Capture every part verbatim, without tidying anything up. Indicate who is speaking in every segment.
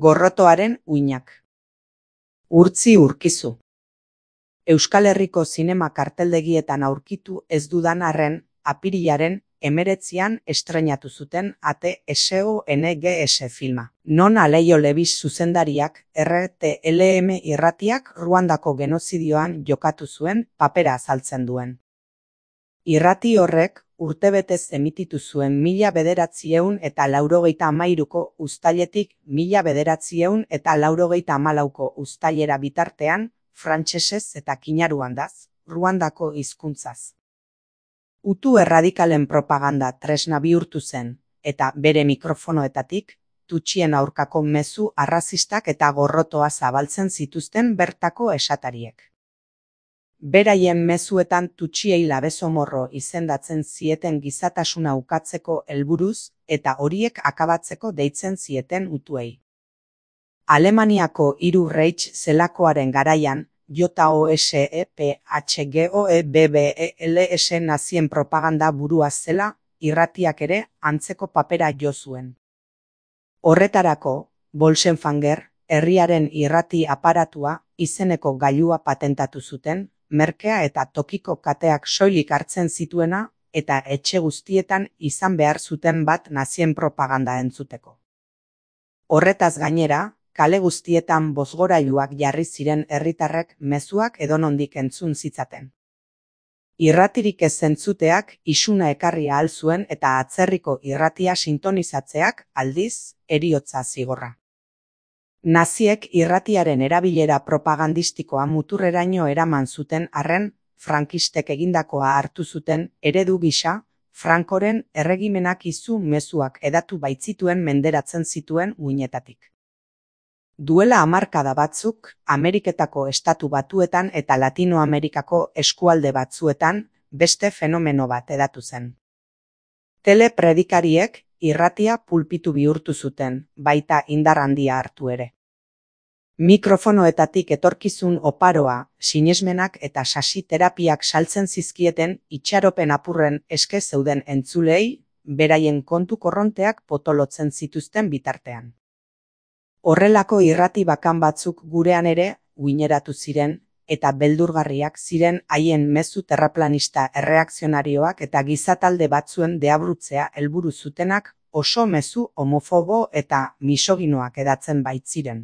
Speaker 1: Gorrotoaren uinak. Urtzi urkizu. Euskal Herriko zinema karteldegietan aurkitu ez dudan arren, apirilaren hemeretzian estreinatu zuten A T S O N G S filma. Non Aleio Lebis zuzendariak R T L M irratiak Ruandako genozidioan jokatu zuen papera azaltzen duen. Irrati horrek urtebetez emititu zuen mila bederatziehun eta laurogeita hamairuko uztailetik mila bederatziehun eta laurogeita hamalauko uztailera bitartean, frantsesez eta kinaruandaz, Ruandako hizkuntzaz. Hutu erradikalen propaganda tresna bihurtu zen, eta bere mikrofonoetatik, Tutsien aurkako mezu arrazistak eta gorrotoa zabaltzen zituzten bertako esatariek. Beraien mezuetan Tutsiei labezomorro izendatzen zieten gizatasuna ukatzeko helburuz eta horiek akabatzeko deitzen zieten hutuei. Alemaniako hiru Reich zelakoaren garaian, J O S E P H G O E B B E L S nazien propaganda burua zela, irratiak ere antzeko papera jo zuen. Horretarako, Bolsenfanger, herriaren irrati aparatua, izeneko gailua patentatu zuten, merkea eta tokiko kateak soilik hartzen zituena eta etxe guztietan izan behar zuten bat nazien propaganda entzuteko. Horretaz gainera, kale guztietan bozgorailuak jarri ziren herritarrek mezuak edonondik entzun zitzaten. Irratirik ez entzuteak isuna ekarri ahal zuen eta atzerriko irratia sintonizatzeak aldiz heriotza zigorra. Naziek irratiaren erabilera propagandistikoa muturreraino eraman zuten arren, frankistek egindakoa hartu zuten eredu gisa, Frankoren erregimenak izu mezuak edatu baitzituen menderatzen zituen uinetatik. Duela hamarkada batzuk, Ameriketako estatu batuetan eta Latinoamerikako eskualde batzuetan beste fenomeno bat edatu zen. Telepredikariek irratia pulpitu bihurtu zuten, baita indar handia hartu ere. Mikrofonoetatik etorkizun oparoa, sinesmenak eta sasi terapiak saltzen zizkieten itxaropen apurren eske zeuden entzulei, beraien kontu korronteak potolotzen zituzten bitartean. Horrelako irrati bakan batzuk gurean ere uineratu ziren, eta beldurgarriak ziren haien mezu terraplanista erreakzionarioak eta gizatalde batzuen deabrutzea helburu zutenak oso mezu homofobo eta misoginoak edatzen baitziren.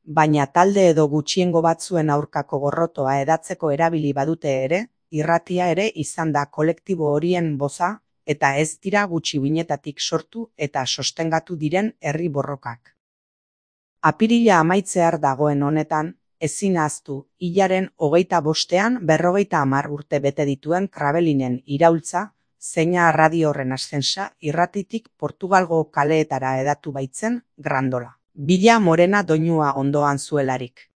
Speaker 1: Baina talde edo gutxiengo batzuen aurkako gorrotoa edatzeko erabili badute ere, irratia ere izan da kolektibo horien boza, eta ez dira gutxi uinetatik sortu eta sostengatu diren herri borrokak. Apirila amaitzear dagoen honetan, ezin ahaztu, hilaren hogeita bostean berrogeita hamar urte bete dituen Krabelinen iraultza, zeina radio horren ascensa irratitik Portugalgo kaleetara edatu baitzen Grandola. Bila morena doinua ondoan zuelarik.